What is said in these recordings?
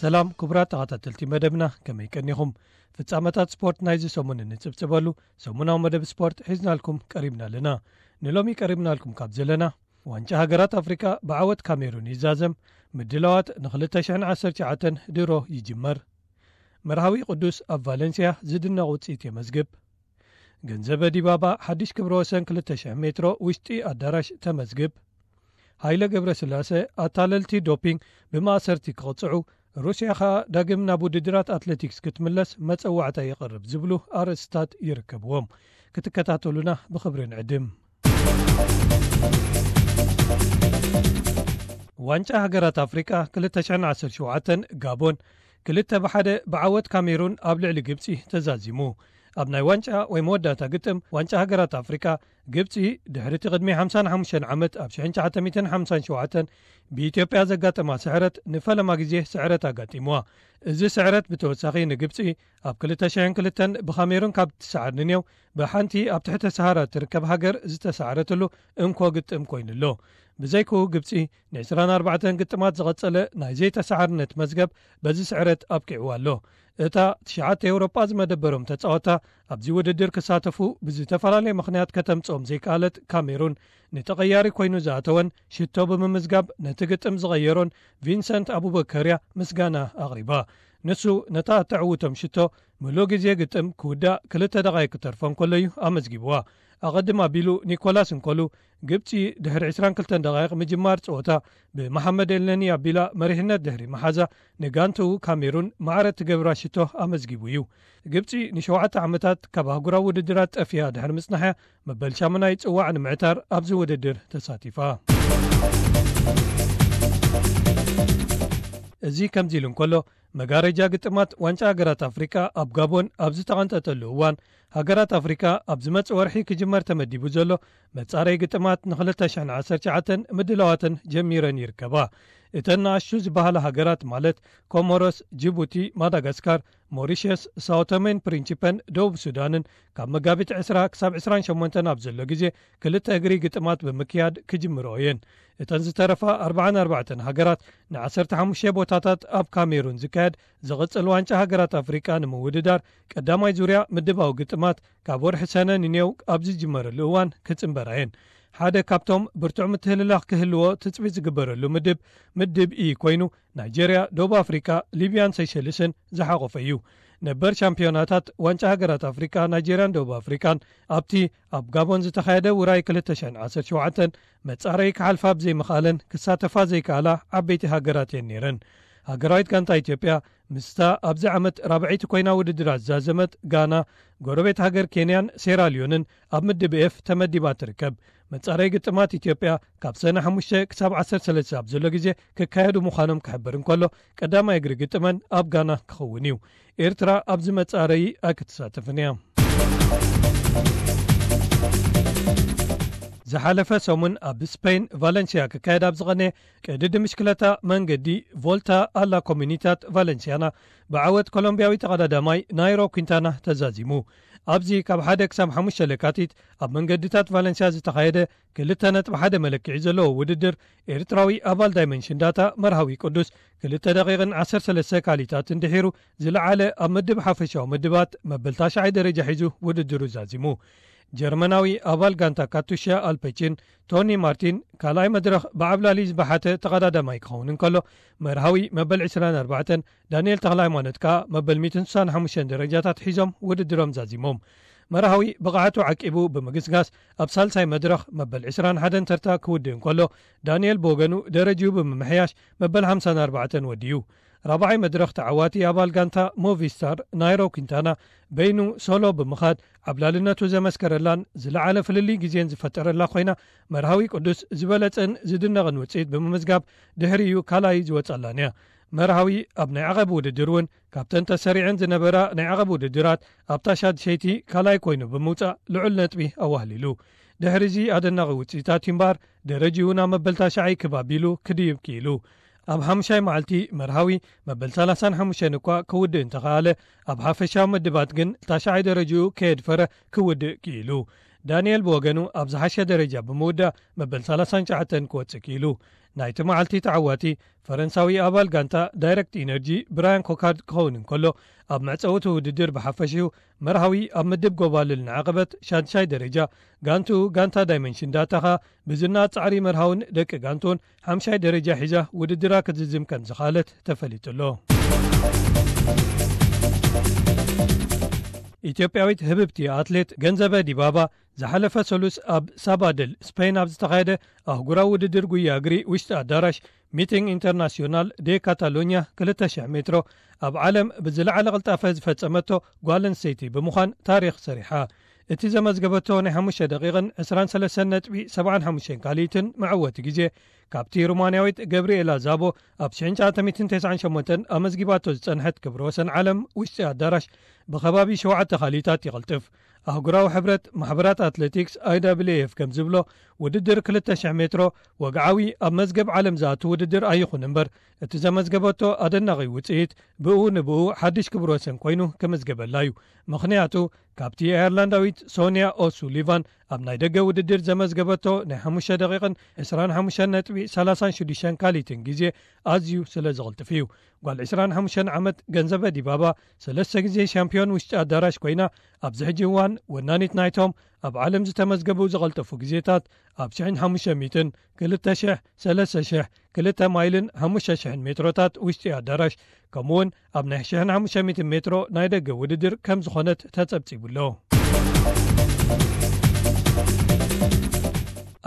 ሰላም ክቡራት ተኸታተልቲ መደብና፣ ከመይ ቀኒኹም? ፍጻመታት ስፖርት ናይዚ ሰሙን እንጽብጽበሉ ሰሙናዊ መደብ ስፖርት ሒዝናልኩም ቀሪብና ኣለና። ንሎሚ ቀሪብናልኩም ካብ ዘለና፣ ዋንጫ ሃገራት ኣፍሪቃ ብዓወት ካሜሩን ይዛዘም፣ ምድላዋት ን ክልተ ሽሕን ዓሰርተ ትሽዓተን ድሮ ይጅመር፣ መርሃዊ ቅዱስ ኣብ ቫለንስያ ዝድነቕ ውጽኢት የመዝግብ፣ ገንዘበ ዲባባ ሓድሽ ክብረ ወሰን ክልተ ሽሕ ሜትሮ ውሽጢ ኣዳራሽ ተመዝግብ፣ ሃይለ ገብረስላሰ ኣታለልቲ ዶፒንግ ብማእሰርቲ ክቕጽዑ፣ ሩስያ ኸኣ ዳግም ናብ ውድድራት ኣትሌቲክስ ክትምለስ መጸዋዕታ የቕርብ ዝብሉ ኣርእስታት ይርከብዎም። ክትከታተሉና ብኽብሪ ንዕድም። ዋንጫ ሃገራት ኣፍሪቃ ክልተ ሽሕን ዓሰርተ ሸውዓተን ጋቦን ክልተ ብሓደ ብዓወት ካሜሩን ኣብ ልዕሊ ግብጺ ተዛዚሙ። ኣብ ናይ ዋንጫ ወይ መወዳእታ ግጥም ዋንጫ ሃገራት ኣፍሪቃ፣ ግብጺ ድሕሪ እቲ ቅድሚ ሓምሳን ሓሙሽተን ዓመት ኣብ ሽሕን ትሽዓተ ሚእትን ሓምሳን ሸውዓተን ብኢትዮጵያ ዘጋጠማ ስዕረት ንፈለማ ግዜ ስዕረት ኣጋጢምዋ። እዚ ስዕረት ብተወሳኺ ንግብጺ ኣብ ክልተ ሽሕን ክልተን ብካሜሩን ካብ ትሰዓር ንኔው ብሓንቲ ኣብ ትሕተ ሰሃራ እትርከብ ሃገር ዝተሰዓረትሉ እንኮ ግጥም ኮይኑ ኣሎ። ብዘይክኡ ግብጺ ን ዕስራን ኣርባዕተን ግጥማት ዝቐጸለ ናይ ዘይተሰዓርነት መዝገብ በዚ ስዕረት ኣብቂዕዋ ኣሎ። እታ ትሽዓተ ኤውሮጳ ዝመደበሮም ተጻወታ ኣብዚ ውድድር ክሳተፉ ብዝተፈላለየ ምኽንያት ከተምጽኦም ዘይከኣለት ካሜሩን፣ ንተቐያሪ ኮይኑ ዝኣተወን ሽቶ ብምምዝጋብ ነቲ ግጥም ዝቐየሮን ቪንሰንት ኣቡበከርያ ምስጋና ኣቕሪባ። ንሱ ነታ እተዕውቶም ሽቶ ምሉእ ግዜ ግጥም ክውዳእ ክልተ ደቓይቅ ክተርፎ እንከሎ እዩ ኣመዝጊብዋ። ኣቐድም ኣቢሉ ኒኮላስ እንኮሉ፣ ግብጺ ድሕሪ ዕስራን ክልተን ደቓይቕ ምጅማር ጸወታ ብመሓመድ ኤልነኒ ኣቢላ መሪሕነት ድሕሪ መሓዛ፣ ንጋንትኡ ካሜሩን ማዕረ እትገብራ ሽቶ ኣመዝጊቡ እዩ። ግብጺ ንሸውዓተ ዓመታት ካብ ኣህጉራዊ ውድድራት ጠፊኣ ድሕሪ ምጽናሕያ፣ መበል ሻሙናይ ጽዋዕ ንምዕታር ኣብዚ ውድድር ተሳቲፋ። እዚ ከምዚ ኢሉ እንከሎ፣ መጋረጃ ግጥማት ዋንጫ ሃገራት ኣፍሪቃ ኣብ ጋቦን ኣብ ዝተቐንጠጠሉ እዋን፣ ሃገራት ኣፍሪቃ ኣብ ዝመጽእ ወርሒ ክጅመር ተመዲቡ ዘሎ መጻረይ ግጥማት ንክልተ ሽሕን ዓሰርተ ትሽዓተን ምድላዋተን ጀሚረን ይርከባ። እተን ንኣሽቱ ዝበሃላ ሃገራት ማለት ኮሞሮስ፣ ጅቡቲ፣ ማዳጋስካር፣ ሞሪሸስ፣ ሳኦቶሜን ፕሪንቺፐን ደቡብ ሱዳንን ካብ መጋቢት ዕስራ ክሳብ ዕስራን ሸሞንተን ኣብ ዘሎ ግዜ ክልተ እግሪ ግጥማት ብምክያድ ክጅምርኦ እየን። እተን ዝተረፋ ኣርባዓን ኣርባዕተን ሃገራት ንዓሰርተ ሓሙሽተ ቦታታት ኣብ ካሜሩን ዝካየድ ዝቕጽል ዋንጫ ሃገራት ኣፍሪቃ ንምውድዳር ቀዳማይ ዙርያ ምድባዊ ግጥማት ካብ ወርሒ ሰነ ንኔው ኣብ ዝጅመረሉ እዋን ክጽንበራ እየን። ሓደ ካብቶም ብርቱዕ ምትህልላኽ ክህልዎ ትጽቢት ዝግበረሉ ምድብ፣ ምድብ ኢ ኮይኑ፣ ናይጀርያ፣ ደቡብ ኣፍሪቃ፣ ሊብያን ሴሸልስን ዝሓቖፈ እዩ። ነበር ሻምፒዮናታት ዋንጫ ሃገራት ኣፍሪቃ ናይጀርያን ደቡብ ኣፍሪቃን ኣብቲ ኣብ ጋቦን ዝተኻየደ ውራይ ክልተ ሽሕን ዓሰርተ ሸውዓተን መጻረዪ ክሓልፋ ብዘይምኽኣለን ክሳተፋ ዘይከኣላ ዓበይቲ ሃገራት እየን ነይረን። ሃገራዊት ጋንታ ኢትዮጵያ ምስታ ኣብዚ ዓመት ራብዐይቲ ኮይና ውድድራት ዝዛዘመት ጋና፣ ጎረቤት ሃገር ኬንያን ሴራልዮንን ኣብ ምድብ ኤፍ ተመዲባ ትርከብ። መጻረዪ ግጥማት ኢትዮጵያ ካብ ሰነ ሓሙሽተ ክሳብ ዓሰርተ ሰለስተ ኣብ ዘሎ ግዜ ክካየዱ ምዃኖም ክሕብር እንከሎ፣ ቀዳማይ እግሪ ግጥመን ኣብ ጋና ክኸውን እዩ። ኤርትራ ኣብዚ መጻረዪ ኣይክትሳተፍን እያ። ዝሓለፈ ሰሙን ኣብ ስፔን ቫለንሲያ ክካየድ ኣብ ዝቐነየ ቅድድም ብሽክለታ መንገዲ ቮልታ ኣላ ኮሚኒታት ቫለንሲያና ብዓወት ኮሎምቢያዊ ተቐዳዳማይ ናይሮ ኲንታና ተዛዚሙ። ኣብዚ ካብ ሓደ ክሳብ ሓሙሽተ ለካቲት ኣብ መንገድታት ቫለንሲያ ዝተኻየደ ክልተ ነጥቢ ሓደ መለክዒ ዘለዎ ውድድር፣ ኤርትራዊ ኣባል ዳይመንሽን ዳታ መርሃዊ ቅዱስ ክልተ ደቂቕን ዓሰርተ ሰለስተ ካሊታትን ድሒሩ ዝለዓለ ኣብ ምድብ ሓፈሻዊ ምድባት መበል ታሽዓይ ደረጃ ሒዙ ውድድሩ ዛዚሙ። ጀርመናዊ ኣባል ጋንታ ካቱሻ ኣልፔቺን ቶኒ ማርቲን ካልኣይ መድረኽ ብዓብላሊ ዝበሓተ ተቐዳዳማይ ክኸውን እንከሎ፣ መርሃዊ መበል ዕስራን ኣርባዕተን ዳንኤል ተኽለሃይማኖት ከኣ መበል ሚእትን ስሳን ሓሙሽተን ደረጃታት ሒዞም ውድድሮም ዛዚሞም። መርሃዊ ብቕዓቱ ዓቂቡ ብምግስጋስ ኣብ ሳልሳይ መድረኽ መበል ዕስራን ሓደን ተርታ ክውድእ እንከሎ፣ ዳንኤል ብወገኑ ደረጅኡ ብምምሕያሽ መበል ሓምሳን ኣርባዕተን ወድዩ። ራብዓይ መድረኽ ተዓዋቲ ኣባል ጋንታ ሞቪስታር ናይሮ ኲንታና በይኑ ሶሎ ብምኻድ ዓብላልነቱ ዘመስከረላን ዝለዓለ ፍልልይ ግዜን ዝፈጠረላ ኮይና፣ መርሃዊ ቅዱስ ዝበለጸን ዝድነቕን ውጽኢት ብምምዝጋብ ድሕሪኡ ካልኣይ ዝወጸላን እያ። መርሃዊ ኣብ ናይ ዓቐብ ውድድር እውን ካብተን ተሰሪዐን ዝነበራ ናይ ዓቐብ ውድድራት ኣብታ ሻድሸይቲ ካልኣይ ኮይኑ ብምውጻእ ልዑል ነጥቢ ኣዋህሊሉ። ድሕሪዚ ኣደናቒ ውጽኢታት እምበኣር ደረጅኡ ናብ መበል ታሽዓይ ክብ ኣቢሉ ክድይብ ክኢሉ። ኣብ ሓሙሻይ መዓልቲ መርሃዊ መበል ሰላሳን ሓሙሽተን እኳ ክውድእ እንተኸኣለ፣ ኣብ ሓፈሻዊ ምድባት ግን ታሽዓይ ደረጅኡ ከየድፈረ ክውድእ ክኢሉ። ዳንኤል ብወገኑ ኣብ ዝሓሸ ደረጃ ብምውዳእ መበል ሰላሳን ትሽዓተን ክወጽእ ክኢሉ። ናይቲ መዓልቲ ተዓዋቲ ፈረንሳዊ ኣባል ጋንታ ዳይሬክት ኢነርጂ ብራያን ኮካርድ ክኸውን እንከሎ፣ ኣብ መዕጸውቲ ውድድር ብሓፈሽኡ መርሃዊ ኣብ ምድብ ጎባልል ንዓቐበት ሻድሻይ ደረጃ፣ ጋንቱ ጋንታ ዳይመንሽን ዳታ ኸኣ ብዝና ጻዕሪ መርሃውን ደቂ ጋንቱን ሓምሻይ ደረጃ ሒዛ ውድድራ ክትዝዝም ከም ዝኸኣለት ተፈሊጡ ኣሎ። ኢትዮጵያዊት ህብብቲ ኣትሌት ገንዘበ ዲባባ ዝሓለፈ ሰሉስ ኣብ ሳባደል ስፔን ኣብ ዝተኻየደ ኣህጉራዊ ውድድር ጉያ እግሪ ውሽጢ ኣዳራሽ ሚቲንግ ኢንተርናሲዮናል ዴ ካታሎኛ ክልተ ሽሕ ሜትሮ ኣብ ዓለም ብዝለዓለ ቅልጣፈ ዝፈጸመቶ ጓል ኣንስተይቲ ብምዃን ታሪኽ ሰሪሓ። እቲ ዘመዝገበቶ ናይ ሓሙሽተ ደቂቕን ዕስራን ሰለስተን ነጥቢ ሰብዓን ሓሙሽተን ካልኢትን መዕወቲ ግዜ ካብቲ ሩማንያዊት ገብርኤላ ዛቦ ኣብ ሽሕን ትሽዓተ ሚእትን ተስዓን ሸሞንተን ኣመዝጊባቶ ዝጸንሐት ክብረ ወሰን ዓለም ውሽጢ ኣዳራሽ ብኸባቢ ሸውዓተ ካልኢታት ይቕልጥፍ። ኣህጉራዊ ሕብረት ማሕበራት ኣትሌቲክስ ኣይ ዳብልዩ ኤፍ ከም ዝብሎ፣ ውድድር ክልተ ሽሕ ሜትሮ ወግዓዊ ኣብ መዝገብ ዓለም ዝኣቱ ውድድር ኣይኹን እምበር፣ እቲ ዘመዝገበቶ ኣደናቒ ውጽኢት ብኡ ንብኡ ሓድሽ ክብረ ወሰን ኮይኑ ክምዝገበላ እዩ። ምኽንያቱ፣ ካብቲ ኣየርላንዳዊት ሶንያ ኦሱሊቫን ኣብ ናይ ደገ ውድድር ዘመዝገበቶ ናይ ሓሙሽተ ደቂቕን ዕስራን ሓሙሽተን ነጥቢ ሰላሳን ሽዱሽተን ካልኢትን ግዜ ኣዝዩ ስለ ዝቕልጥፍ እዩ። ጓል ዕስራን ሓሙሽተን ዓመት ገንዘበ ዲባባ ሰለስተ ግዜ ሻምፒዮን ውሽጢ ኣዳራሽ ኮይና፣ ኣብዚ ሕጂ እዋን ወናኒት ናይቶም ኣብ ዓለም ዝተመዝገቡ ዝቐልጠፉ ግዜታት ኣብ ሽሕን ሓሙሽተ ሚእትን፣ ክልተ ሽሕ፣ ሰለስተ ሽሕ፣ ክልተ ማይልን ሓሙሽተ ሽሕን ሜትሮታት ውሽጢ ኣዳራሽ፣ ከምኡውን ኣብ ናይ ሽሕን ሓሙሽተ ሚእትን ሜትሮ ናይ ደገ ውድድር ከም ዝኾነት ተጸብጺቡ ኣሎ።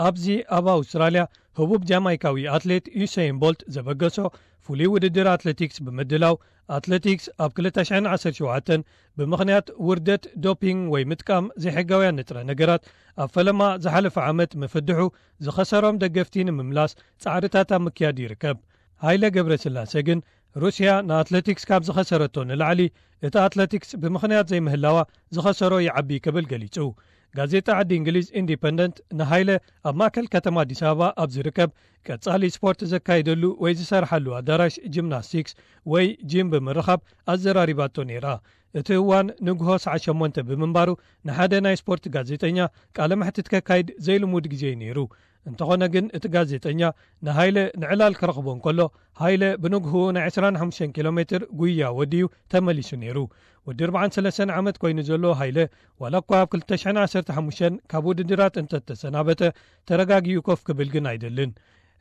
ኣብዚ ኣብ ኣውስትራልያ ህቡብ ጃማይካዊ ኣትሌት ዩሰይን ቦልት ዘበገሶ ፍሉይ ውድድር ኣትሌቲክስ ብምድላው፣ ኣትሌቲክስ ኣብ ክልተ ሽሕን ዓሰርተ ሸውዓተን ብምኽንያት ውርደት፣ ዶፒንግ ወይ ምጥቃም ዘይሕጋውያን ንጥረ ነገራት ኣብ ፈለማ ዝሓለፈ ዓመት ምፍድሑ ዝኸሰሮም ደገፍቲ ንምምላስ ጻዕርታት ኣብ ምክያድ ይርከብ። ሃይለ ገብረስላሴ ግን ሩስያ ንኣትሌቲክስ ካብ ዝኸሰረቶ ንላዕሊ እቲ ኣትሌቲክስ ብምኽንያት ዘይምህላዋ ዝኸሰሮ ይዓቢ ክብል ገሊጹ። ጋዜጣ ዓዲ እንግሊዝ ኢንዲፐንደንት ንሃይለ ኣብ ማእከል ከተማ ኣዲስ ኣበባ ኣብ ዝርከብ ቀጻሊ ስፖርት ዘካይደሉ ወይ ዝሰርሓሉ ኣዳራሽ ጂምናስቲክስ ወይ ጂም ብምርኻብ ኣዘራሪባቶ ነይራ። እቲ እዋን ንግሆ ሰዓት ሸሞንተ ብምንባሩ ንሓደ ናይ ስፖርት ጋዜጠኛ ቃለ መሕትት ከካይድ ዘይልሙድ ግዜ እዩ ነይሩ። እንተኾነ ግን እቲ ጋዜጠኛ ንሃይለ ንዕላል ክረኽቦ እንከሎ፣ ሃይለ ብንግህኡ ናይ ዕስራን ሓሙሽተን ኪሎ ሜትር ጉያ ወዲዩ ተመሊሱ ነይሩ። ወዲ ኣርባዓን ሰለስተን ዓመት ኮይኑ ዘሎ ሃይለ፣ ዋላ እኳ ኣብ ክልተ ሽሕን ዓሰርተ ሓሙሽተን ካብ ውድድራት እንተተሰናበተ፣ ተረጋጊኡ ኮፍ ክብል ግን ኣይደልን።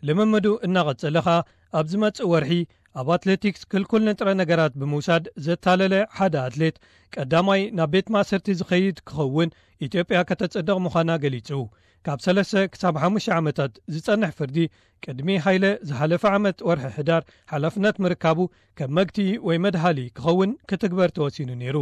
ልምምዱ እናቐጸለ ኸኣ፣ ኣብ ዝመጽእ ወርሒ ኣብ ኣትሌቲክስ ክልኩል ንጥረ ነገራት ብምውሳድ ዘታለለ ሓደ ኣትሌት ቀዳማይ ናብ ቤት ማእሰርቲ ዝኸይድ ክኸውን ኢትዮጵያ ከተጸድቕ ምዃና ገሊጹ። ካብ ሰለስተ ክሳብ ሓሙሽተ ዓመታት ዝጸንሕ ፍርዲ ቅድሚ ሃይለ ዝሓለፈ ዓመት ወርሒ ሕዳር ሓላፍነት ምርካቡ ከም መግትኢ ወይ መድሃሊ ክኸውን ክትግበር ተወሲኑ ነይሩ።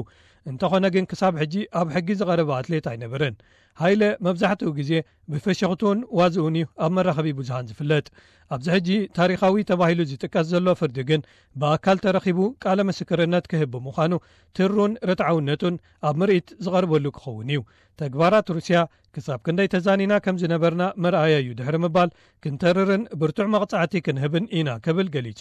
እንተኾነ ግን ክሳብ ሕጂ ኣብ ሕጊ ዝቐረበ ኣትሌት ኣይነበረን። ሃይለ መብዛሕትኡ ግዜ ብፍሽኽቱን ዋዝኡን እዩ ኣብ መራኸቢ ብዙሃን ዝፍለጥ። ኣብዚ ሕጂ ታሪኻዊ ተባሂሉ ዝጥቀስ ዘሎ ፍርዲ ግን ብኣካል ተረኺቡ ቃለ ምስክርነት ክህብ ብምዃኑ ትሩን ርትዓውነቱን ኣብ ምርኢት ዝቐርበሉ ክኸውን እዩ። ተግባራት ሩስያ ክሳብ ክንደይ ተዛኒና ከም ዝነበርና መርኣያ እዩ ድሕሪ ምባል፣ ክንተርርን ብርቱዕ መቕጻዕቲ ክንህብን ኢና ክብል ገሊጹ።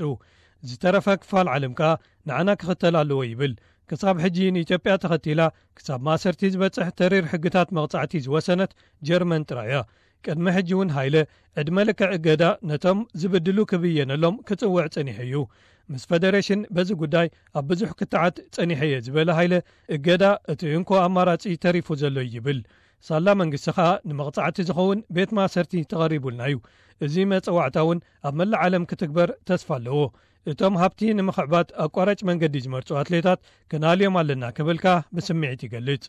ዝተረፈ ክፋል ዓለም ከኣ ንዓና ክኽተል ኣለዎ ይብል። ክሳብ ሕጂ ንኢትዮጵያ ተኸቲላ ክሳብ ማእሰርቲ ዝበጽሕ ተሪር ሕግታት መቕጻዕቲ ዝወሰነት ጀርመን ጥራይ እያ። ቅድሚ ሕጂ እውን ሃይለ ዕድመ ልክዕ እገዳ ነቶም ዝብድሉ ክብየነሎም ክጽውዕ ጸኒሑ እዩ። ምስ ፈደሬሽን በዚ ጉዳይ ኣብ ብዙሕ ክትዓት ጸኒሐ እየ ዝበለ ሃይለ፣ እገዳ እቲ እንኮ ኣማራጺ ተሪፉ ዘሎ እዩ ይብል። ሳላ መንግስቲ ኸኣ ንመቕጻዕቲ ዝኸውን ቤት ማእሰርቲ ተቐሪቡልና እዩ። እዚ መጸዋዕታ እውን ኣብ መላእ ዓለም ክትግበር ተስፋ ኣለዎ። እቶም ሃብቲ ንምኽዕባት ኣቋራጭ መንገዲ ዝመርጹ ኣትሌታት ክናልዮም ኣለና ክብል ከኣ ብስምዒት ይገልጽ።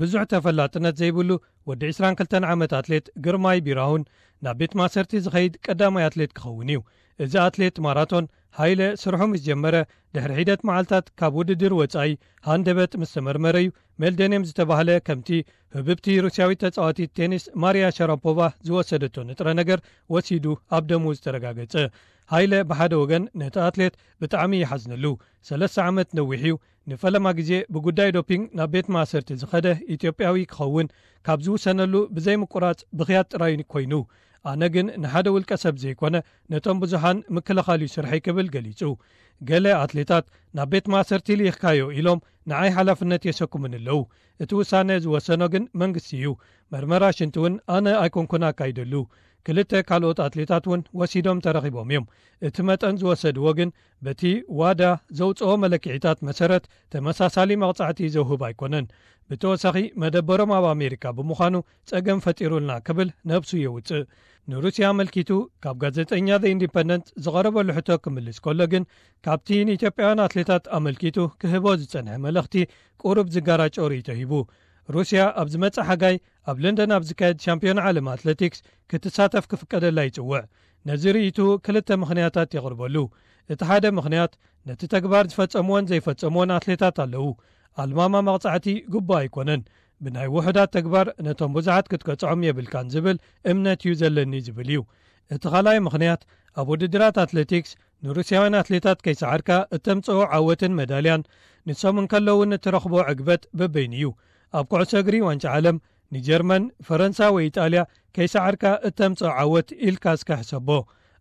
ብዙሕ ተፈላጥነት ዘይብሉ ወዲ ዕስራን ክልተን ዓመት ኣትሌት ግርማይ ቢራሁን ናብ ቤት ማእሰርቲ ዝኸይድ ቀዳማይ ኣትሌት ክኸውን እዩ። እዚ ኣትሌት ማራቶን ሃይለ ስርሑ ምስ ጀመረ ድሕሪ ሒደት መዓልታት ካብ ውድድር ወጻኢ ሃንደበት ምስ ተመርመረ እዩ ሜልደኒየም ዝተባህለ ከምቲ ህብብቲ ሩስያዊት ተጻዋቲት ቴኒስ ማሪያ ሻራፖቫ ዝወሰደቶ ንጥረ ነገር ወሲዱ ኣብ ደሙ ዝተረጋገጸ። ሃይለ ብሓደ ወገን ነቲ ኣትሌት ብጣዕሚ ይሓዝነሉ። ሰለስተ ዓመት ነዊሕ እዩ። ንፈለማ ግዜ ብጉዳይ ዶፒንግ ናብ ቤት ማእሰርቲ ዝኸደ ኢትዮጵያዊ ክኸውን ካብ ዝውሰነሉ ብዘይምቁራጽ ብኽያት ጥራይ ኮይኑ። ኣነ ግን ንሓደ ውልቀ ሰብ ዘይኮነ ነቶም ብዙሓን ምክልኻል እዩ ስርሐይ ክብል ገሊጹ። ገለ ኣትሌታት ናብ ቤት ማእሰርቲ ልኢኽካዮ ኢሎም ንዓይ ሓላፍነት የሰኩምኒ ኣለዉ። እቲ ውሳነ ዝወሰኖ ግን መንግስቲ እዩ። መርመራ ሽንቲ እውን ኣነ ኣይኮንኩን ኣካይደሉ። ክልተ ካልኦት ኣትሌታት እውን ወሲዶም ተረኺቦም እዮም። እቲ መጠን ዝወሰድዎ ግን በቲ ዋዳ ዘውፅኦ መለክዒታት መሰረት ተመሳሳሊ መቕፃዕቲ ዘውህብ ኣይኮነን። ብተወሳኺ መደበሮም ኣብ ኣሜሪካ ብምዃኑ ፀገም ፈጢሩልና ክብል ነብሱ የውፅእ። ንሩስያ ኣመልኪቱ ካብ ጋዜጠኛ ዘ ኢንዲፐንደንት ዝቐረበሉ ሕቶ ክምልስ ከሎ ግን ካብቲ ንኢትዮጵያውያን ኣትሌታት ኣመልኪቱ ክህቦ ዝፀንሐ መልእኽቲ ቁሩብ ዝጋራጮ ርእይቶ ሂቡ። ሩስያ ኣብ ዝመጽእ ሓጋይ ኣብ ለንደን ኣብ ዝካየድ ሻምፒዮን ዓለም ኣትሌቲክስ ክትሳተፍ ክፍቀደላ ይጽውዕ። ነዚ ርእይቱ ክልተ ምኽንያታት የቕርበሉ። እቲ ሓደ ምኽንያት ነቲ ተግባር ዝፈጸምዎን ዘይፈጸምዎን ኣትሌታት ኣለዉ። ኣልማማ መቕጻዕቲ ግቡእ ኣይኮነን። ብናይ ውሑዳት ተግባር ነቶም ብዙሓት ክትቀጽዖም የብልካን ዝብል እምነት እዩ ዘለኒ ዝብል እዩ። እቲ ካልኣይ ምኽንያት ኣብ ውድድራት ኣትሌቲክስ ንሩስያውያን ኣትሌታት ከይሰዓርካ እተምጽኦ ዓወትን መዳልያን ንሶም እንከለዉ ንትረኽቦ ዕግበት በበይኑ እዩ። ኣብ ኩዕሶ እግሪ ዋንጫ ዓለም ንጀርመን፣ ፈረንሳ ወይ ኢጣልያ ከይሰዓርካ እተምጽኦ ዓወት ኢልካ እስከ ሕሰቦ።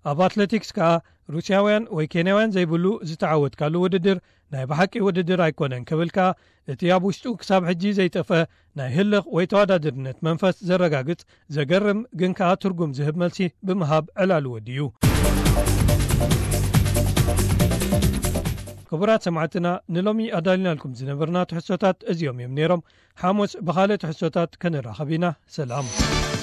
ኣብ ኣትሌቲክስ ከኣ ሩስያውያን ወይ ኬንያውያን ዘይብሉ ዝተዓወትካሉ ውድድር ናይ ብሓቂ ውድድር ኣይኮነን ክብል ከኣ እቲ ኣብ ውሽጡ ክሳብ ሕጂ ዘይጠፍአ ናይ ህልኽ ወይ ተወዳድርነት መንፈስ ዘረጋግጽ ዘገርም ግን ከኣ ትርጉም ዝህብ መልሲ ብምሃብ ዕላሉ ወዲኡ። ክቡራት ሰማዕትና ንሎሚ ኣዳልናልኩም ዝነበርና ትሕዝቶታት እዚኦም እዮም ነይሮም። ሓሙስ ብኻልእ ትሕዝቶታት ክንራኸብ ኢና። ሰላም።